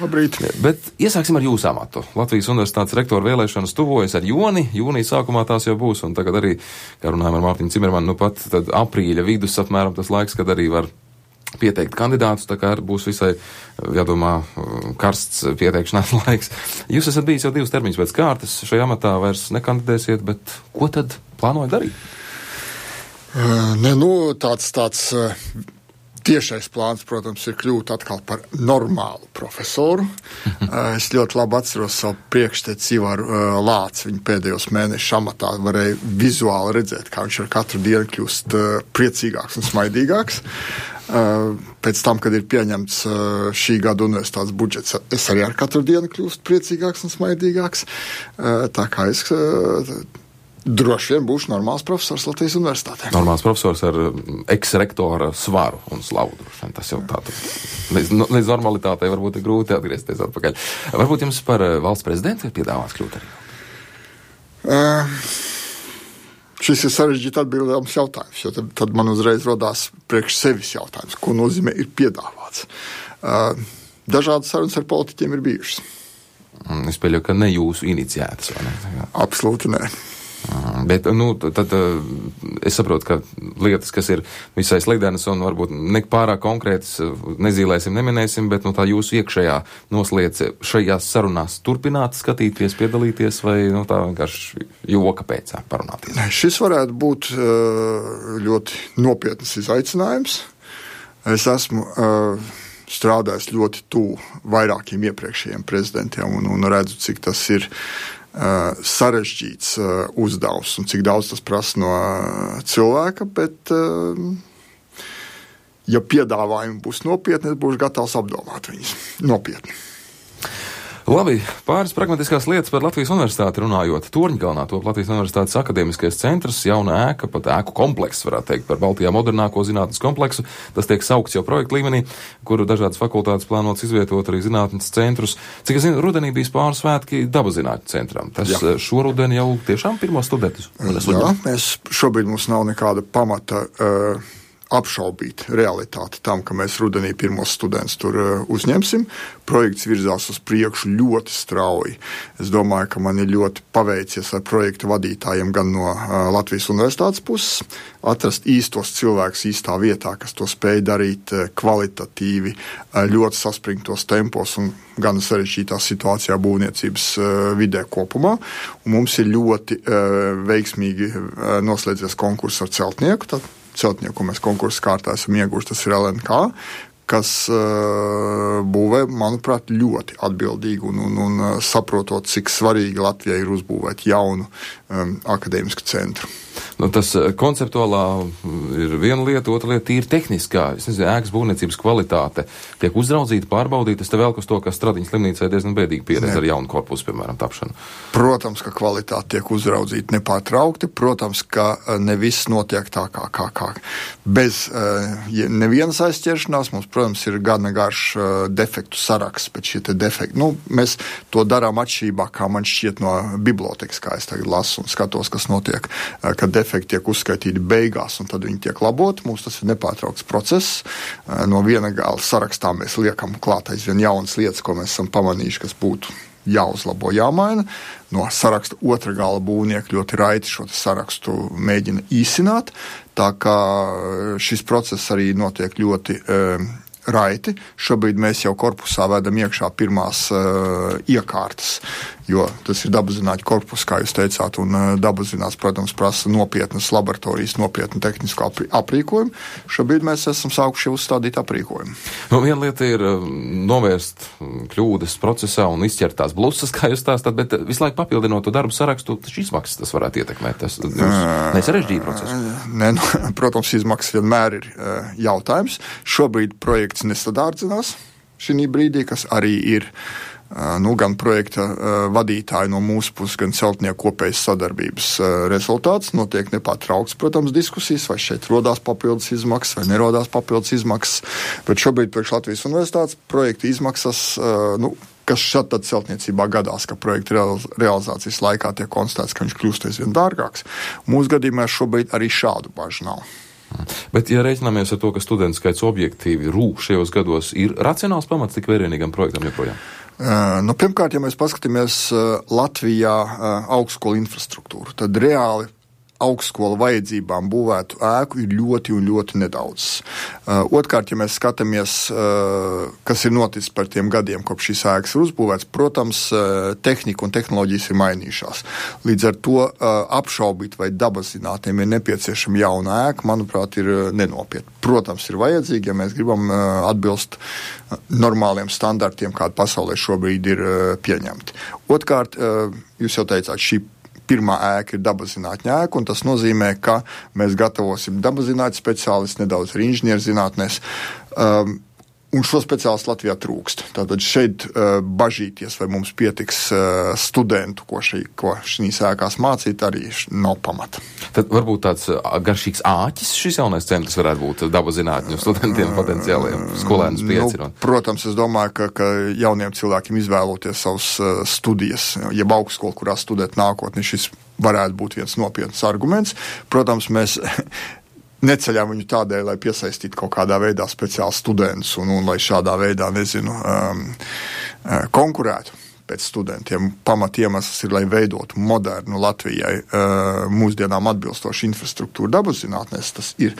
Labrīt. Bet iesāksim ar jūsu amatu. Latvijas Universitātes rektora vēlēšanas tuvojas ar jūni. Jūnija sākumā tās jau būs, un tagad arī, kā runājam ar Mārtiņu Cimermanu, pat tad aprīļa vidus apmēram tas laiks, kad arī var pieteikt kandidātus, tā kā būs visai, jādomā, karsts pieteikšanās laiks. Jūs esat bijis jau 2 termiņus pēc kārtas, šajā amatā vairs nekandidēsiet, bet ko tad plānojat darīt? Tāds tiešais plāns, protams, ir kļūt atkal par normālu profesoru. Es ļoti labi atceros savu priekšteci Ivaru Lāci. Viņa pēdējos mēnešus amatā varēja vizuāli redzēt, kā viņš ar katru dienu kļūst priecīgāks un smaidīgāks. Pēc tam, kad ir pieņemts šī gada universitātes budžets, es arī ar katru dienu kļūstu priecīgāks un smaidīgāks. Tā kā es droši vien būšu normāls profesors Latvijas universitātē. Normāls profesors ar eks-rektora svaru un slavu. Tas jau tā. Līdz normalitātei varbūt ir grūti atgriezties atpakaļ. Varbūt jums par valsts prezidentu ir piedāvāts kļūt arī? Šis ir sarežģīti atbildāms jautājums, jo tad man uzreiz rodās priekš sevis jautājums, ko nozīmē ir piedāvāts. Dažādas sarunas ar politiķiem ir bijušas. Es pieļauju, ka ne jūsu iniciētas, vai ne? Absolūti nē. Bet, tad es saprotu, ka lietas, kas ir visai slidenas un varbūt nepārāk konkrētas, nezīlēsim, neminēsim, bet tā jūsu iekšējā nosliece šajās sarunās turpināt skatīties, piedalīties vai tā vienkārši joka pēc parunāties? Šis varētu būt ļoti nopietnas izaicinājums. Es esmu strādājis ļoti tuvu vairākiem iepriekšējiem prezidentiem un redzu, cik tas ir sarežģīts uzdevums un cik daudz tas prasa no cilvēka, bet ja piedāvājumi būs nopietni, es būšu gatavs apdomāt viņus nopietni. Labi, pāris pragmatiskās lietas par Latvijas universitāti runājot. Torņkalnā top Latvijas universitātes akadēmiskais centrs, jauna ēka, pat ēku komplekss, varētu teikt, par Baltijā modernāko zinātnes kompleksu. Tas tiek saukts jau projektu līmenī, kuru dažādas fakultātes plānotas izvietot arī zinātnes centrus. Cik es zinu, rudenī bija pāris svētki dabazinātņu centram. Tas šoruden jau tiešām pirmos studentus. Šobrīd mums nav nekāda pamata apšaubīt realitāti tam, ka mēs rudenī pirmos studentus tur uzņemsim. Projekts virzās uz priekšu ļoti strauji. Es domāju, ka man ir ļoti paveicies ar projektu vadītājiem gan no Latvijas universitātes puses, atrast īstos cilvēkus īstā vietā, kas to spēj darīt kvalitatīvi, ļoti saspringtos tempos un gan sarežģītā situācijā būvniecības vidē kopumā. Un mums ir ļoti veiksmīgi noslēdzies konkurss ar celtnieku, tad celtnieku, ko mēs konkursu kārtā esam ieguvuši, tas ir LNK, kas būvē, manuprāt, ļoti atbildīgi un saprotot, cik svarīgi Latvijai ir uzbūvēt jaunu akadēmisku centru. Tas konceptuālā ir viena lieta, otra lieta tīri tehniskā. Es nezinu, ēkas būvniecības kvalitāte tiek uzraudzīta, pārbaudīta. Es te velku uz to, ka Stradiņas slimnīcai diezgan bēdīgi pieredze ar jaunu korpusu, piemēram, tapšanu. Protams, ka kvalitāte tiek uzraudzīta nepārtraukti. Protams, ka ne viss notiek tā kā. Bez nevienas aizķeršanās mums, protams, ir gana garš defektu saraksts, bet šie te defekti, mēs to darām atšķirībā, kā man šķiet no bibliotekas, kā es tagad lasu un skatos, kas notiek, kad defekti tiek uzskaitīti beigās un tad viņi tiek laboti. Mums tas ir nepārtraukts process. No viena gala sarakstā mēs liekam klāt aizvien jaunas lietas, ko mēs esam pamanījuši, kas būtu jāuzlabo, jāmaina. No saraksta otra gala būvnieki ļoti raiti šo sarakstu mēģina īsināt. Tā kā šis process arī notiek ļoti raiti. Šobrīd mēs jau korpusā vedam iekšā pirmās iekārtas, jo tas ir dabaszinātņu korpus, kā jūs teicāt, un dabaszinātnes, protams, prasa nopietnas laboratorijas, nopietnu tehnisko aprīkojumu. Šobrīd mēs esam sākuši uzstādīt aprīkojumu. Viena lieta ir novērst kļūdas procesā un izķert tās blusas, kā jūs stāstāt, bet visu laiku papildinot to darbu sarakstu, taču izmaksas tas varētu ietekmēt. Tas nesarežģīja procesu. Protams, izmaksas vienmēr ir jautājums. Šobrīd projekts nesadārdzinās šī brīdī, kas arī ir gan projekta vadītāji no mūsu puses, gan celtnieku kopējas sadarbības rezultāts. Notiek nepārtraukts, protams, diskusijas, vai šeit rodās papildus izmaksas, vai nerodās papildus izmaksas. Bet šobrīd priekš Latvijas universitātes projekta izmaksas, kas šad tad celtniecībā gadās, ka projekta realizācijas laikā tiek konstatēts, ka viņš kļūst aizvien dārgāks. Mūsu gadījumā šobrīd arī šādu bažu nav. Bet, ja reiķināmies ar to, ka studentu skaits objektīvi rūk šajos gados, ir racionāls pamats tik vērienīgam projektam joprojām? Pirmkārt, ja mēs paskatāmies Latvijā augstskolu infrastruktūru, tad reāli augstskolu vajadzībām būvētu ēku ir ļoti un ļoti nedaudz. Otrkārt, ja mēs skatāmies, kas ir noticis par tiem gadiem, kopš šīs ēkas ir uzbūvēts, protams, tehnika un tehnoloģijas ir mainījušās. Līdz ar to apšaubīt, vai dabaszinātniem ir nepieciešama jauna ēka, manuprāt, ir nenopietni. Protams, ir vajadzīgi, ja mēs gribam atbilst normāliem standartiem, kādi pasaulē šobrīd ir pieņemti. Otrkārt, jūs jau teicāt, šī pirmā ēka ir dabaszinātņu ēka, un tas nozīmē, ka mēs gatavosim dabaszinātņu speciālistu, nedaudz arī inženierzinātnēs, un šo speciālistu Latvijā trūkst. Tātad šeit bažīties, vai mums pietiks studentu, ko šīs ēkās mācīt, arī nav pamata. Tad varbūt tāds garšīgs āķis šis jaunais centrs varētu būt dabaszinātņu studentiem potenciāliem skolēnus piecinot. Protams, es domāju, ka jauniem cilvēkiem izvēloties savus studijas, jeb augstskolu, kurā studēt nākotni, šis varētu būt viens nopietns arguments. Protams, mēs neceļām viņu tādēļ, lai piesaistītu kaut kādā veidā speciāli studentus un lai šādā veidā, konkurētu pēc studentiem. Pamat iemesls ir, lai veidotu modernu Latvijai mūsdienām atbilstošu infrastruktūru dabaszinātnēs. Tas ir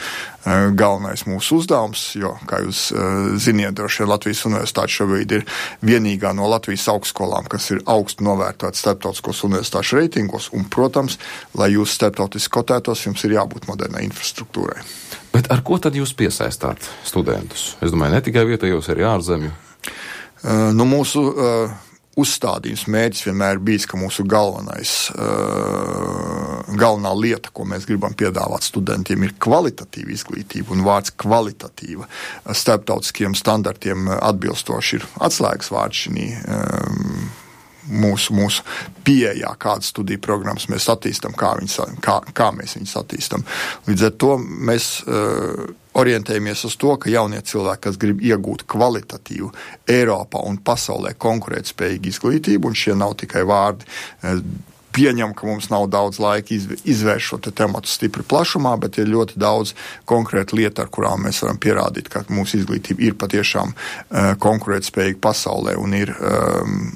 galvenais mūsu uzdevums, jo, kā jūs ziniet, droši vien Latvijas universitāte šobrīd ir vienīgā no Latvijas augstskolām, kas ir augstu novērtēta starptautiskos universitāšu reitingos, un, protams, lai jūs starptautiski kotētos, jums ir jābūt modernai infrastruktūrai. Bet ar ko tad jūs piesaistāt studentus? Es domāju, ne tikai vietējos, arī ārzemju. Mūsu uzstādījums mērķis vienmēr bijis, ka mūsu galvenā lieta, ko mēs gribam piedāvāt studentiem, ir kvalitatīva izglītība, un vārds kvalitatīva starptautiskiem standartiem atbilstoši ir atslēgas vārds šī mūsu pieejā, kādas studiju programmas mēs attīstam, kā mēs viņus attīstam. Līdz ar to mēs orientējamies uz to, ka jaunie cilvēki, kas grib iegūt kvalitatīvu Eiropā un pasaulē konkurētspējīgu izglītību, un šie nav tikai vārdi, pieņem, ka mums nav daudz laika izvērst šo tematu stipri plašumā, bet ir ļoti daudz konkrētu lietu, ar kurām mēs varam pierādīt, ka mūsu izglītība ir patiešām konkurētspējīga pasaulē un ir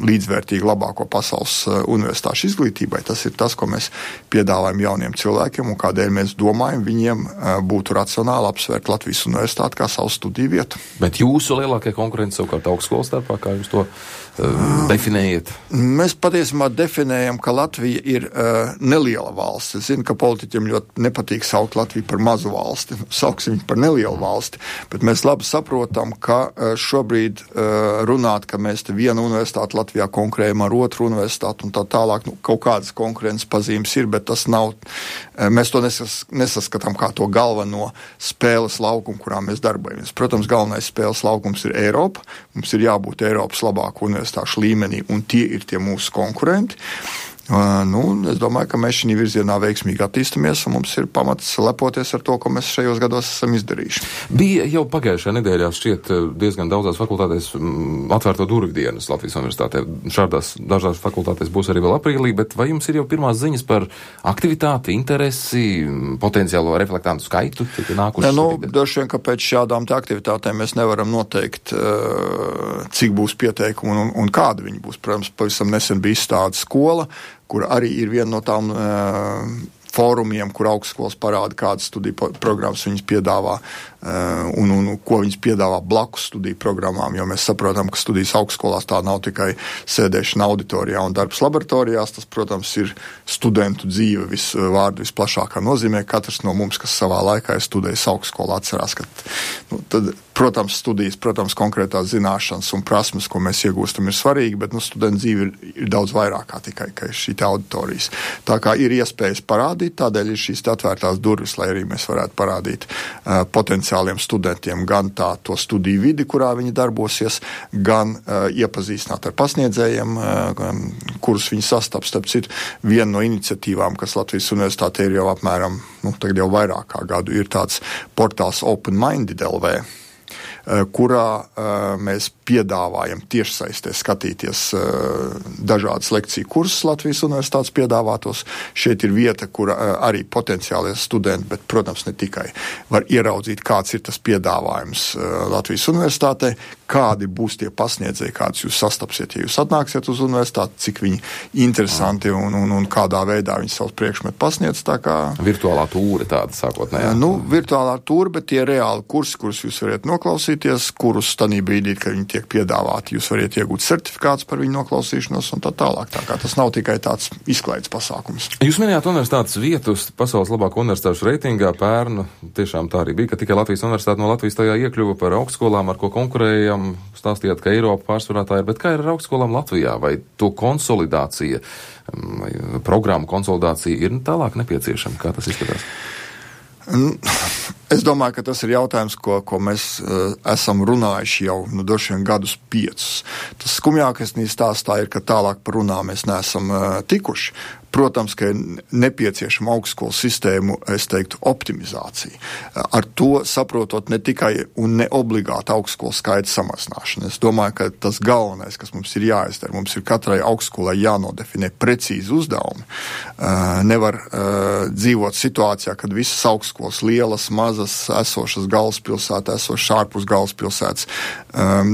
līdzvērtīga labāko pasaules universitāšu izglītībai. Tas ir tas, ko mēs piedāvājam jauniem cilvēkiem un kādēļ mēs domājam, viņiem būtu racionāli apsvērt Latvijas universitāti kā savu studiju vietu. Bet jūsu lielākie konkurenti savukārt augstskolu starpā, kā jūs to definējat? Mēs patiesībā definējam, ka Latvija ir neliela valsts. Es zinu, ka politiķiem ļoti nepatīk saukt Latviju par mazu valsti. Sauksim viņu par nelielu valsti. Bet mēs labi saprotam, ka šobrīd runāt, ka mēs te vienu universitāti Latvijā konkurējam ar otru universitāti un tā tālāk, kaut kādas konkurences pazīmes ir, bet tas nav, mēs to nesaskatām kā to galveno spēles laukumu, kurā mēs darbojamies. Protams, galvenais spēles laukums ir Eiropa. Mums ir jābūt Eiropas labāku universitāšu līmenī, un tie ir tie mūsu konkurenti. Es domāju, ka mēs šī virzienā veiksmīgi attīstamies, un mums ir pamats lepoties ar to, ko mēs šajos gados esam izdarījuši. Bija jau pagājušajā nedēļā šķiet diezgan daudzās fakultātēs atvērto durvju dienas Latvijas universitātē. Šādās dažās fakultātēs būs arī vēl aprīlī, bet vai jums ir jau pirmās ziņas par aktivitāti, interesi, potenciālo reflektantu skaitu? Droši vien, ka pēc šādām aktivitātēm mēs nevaram noteikt, cik būs pieteikumu un kāda viņi būs. Protams, pavisam nesen bija izstāde skola, kur arī ir viena no tām fórumiem, kur augstskolas parāda, kādas studiju programmas viņas piedāvā un ko viņas piedāvā blakus studiju programmām, jo mēs saprotam, ka studijas augstskolās tā nav tikai sēdēšana auditorijā un darbs laboratorijās, tas, protams, ir studentu dzīve vārdu visplašākā nozīmē. Katrs no mums, kas savā laikā ir studējis augstskolā, atcerās, ka tad, protams, studijas, protams, konkrētās zināšanas un prasmes, ko mēs iegūstam, ir svarīgi, bet studentu dzīve ir daudz vairāk kā tikai šī auditorijas. Tā kā ir iespējas parādīt, tādēļ ir šīs atvērtās durvis, lai arī mēs varētu parādīt potenciāliem studentiem gan to studiju vidi, kurā viņi darbosies, gan iepazīstināt ar pasniedzējiem, kurus viņi sastaps. Starp citu, viena no iniciatīvām, kas Latvijas universitātē ir jau apmēram, tagad jau vairāk kā gadu, ir tāds portāls Open Minded LV. kurā mēs piedāvājam tiešsaistē skatīties dažādas lekciju kursus Latvijas universitātes piedāvātos. Šeit ir vieta, kur arī potenciālie studenti, bet, protams, ne tikai, var ieraudzīt, kāds ir tas piedāvājums Latvijas universitātē, kādi būs tie pasniedzēji, kādus jūs sastapsiet, ja jūs atnāksiet uz universitāti, cik viņi interesanti un kādā veidā viņi savus priekšmetu pasniedz. Tā kā virtuālā tūre tāda sākotnējā. Virtuālā tūre, bet tie reāli kursi, kurus jūs varat noklausīties, kurus tanī brīdī, kad viņi tiek piedāvāti, jūs varat iegūt certifikātus par viņu noklausīšanos un tā tālāk. Tā kā tas nav tikai tāds izklaides pasākums. Jūs minējāt universitātes vietu pasaules labāko universitāšu reitingā pērnu. Tiešām tā arī bija, ka tikai Latvijas universitāte no Latvijas tajā iekļuva par augstskolām, ar ko konkurējam. Stāstījāt, ka Eiropa pārsvarā tā ir, bet kā ir ar augstskolām Latvijā? Vai to konsolidācija, programmu konsolidācija ir tālāk nepieciešama? Kā tas izskatās? Es domāju, ka tas ir jautājums, ko mēs esam runājuši jau droši vien gadus 5. Tas skumjākais stāstā ir, ka tālāk par runām mēs neesam tikuši. Protams, ka ir nepieciešama augstskolu sistēmu, es teiktu, optimizācija. Ar to saprotot ne tikai un ne obligāti augstskolu skaita samazināšana. Es domāju, ka tas galvenais, kas mums ir jāizdara, mums ir katrai augstskolai jānodefinē precīzi uzdevumi. Nevar dzīvot situācijā, kad visas augstskolas lielas, mazas, esošas galvaspilsētā, esošas ārpus galvaspilsētas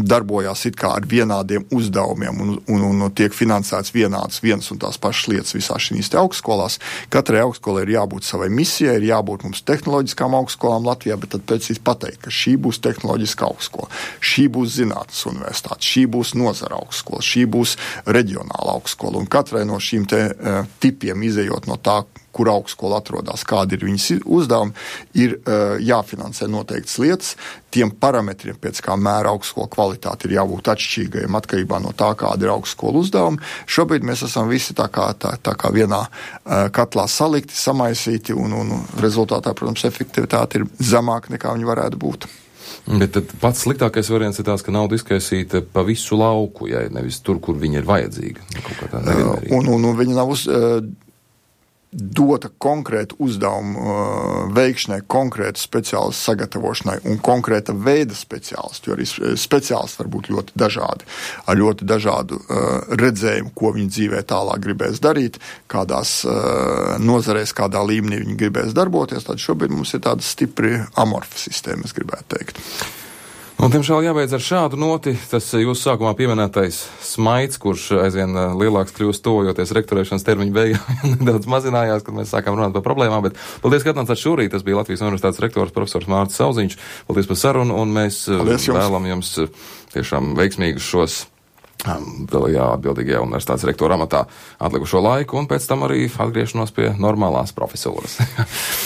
darbojās it kā ar vienādiem uzdevumiem un tiek finansēts vienas un tās pašas lietas visā šīs augstskolās. Katrai augstskolai ir jābūt savai misijai, ir jābūt mums tehnoloģiskām augstskolām Latvijā, bet tad precīzi pateikt, ka šī būs tehnoloģiska augstskola, šī būs zinātnes universitāte, šī būs nozara augstskola, šī būs reģionāla augstskola. Un katrai no šīm tipiem izejot no tā, kur augstskola atrodas, kādi ir viņas uzdevumi, ir jāfinansē noteiktas lietas. Tiem parametriem, pēc kā mēra augstskola kvalitāte, ir jābūt atšķirīgajiem atkarībā no tā, kāda ir augstskola uzdevumi. Šobrīd mēs esam visi tā kā vienā katlā salikti, samaisīti, un rezultātā, protams, efektivitāte ir zemāka nekā viņi varētu būt. Bet tad pats sliktākais variants ir tās, ka nauda izkaisīta pa visu lauku, ja nevis tur, kur viņa ir vajadzīga. Un viņa nav dota konkrēta uzdevuma veikšanai, konkrēta speciālistu sagatavošanai un konkrēta veida speciālistu, jo arī speciālisti var būt ļoti dažādi, ar ļoti dažādu redzējumu, ko viņi dzīvē tālāk gribēs darīt, kādās nozarēs, kādā līmenī viņi gribēs darboties. Tad šobrīd mums ir tāda stipri amorfa sistēma, es gribētu teikt. Un, tiemžēl, jābeidz ar šādu noti. Tas jūsu sākumā pieminētais smaids, kurš aizvien lielāks kļūst tojoties rektorēšanas termiņu beigām, nedaudz mazinājās, kad mēs sākām runāt par problēmām, bet paldies, ka atnācāt šorīt. Tas bija Latvijas universitātes rektors profesors Mārcis Sauziņš. Paldies par sarunu, un mēs vēlam jums tiešām veiksmīgus šos atbildīgajā universitātes rektora amatā atlikušo laiku, un pēc tam arī atgriešanos pie normālās profesūras.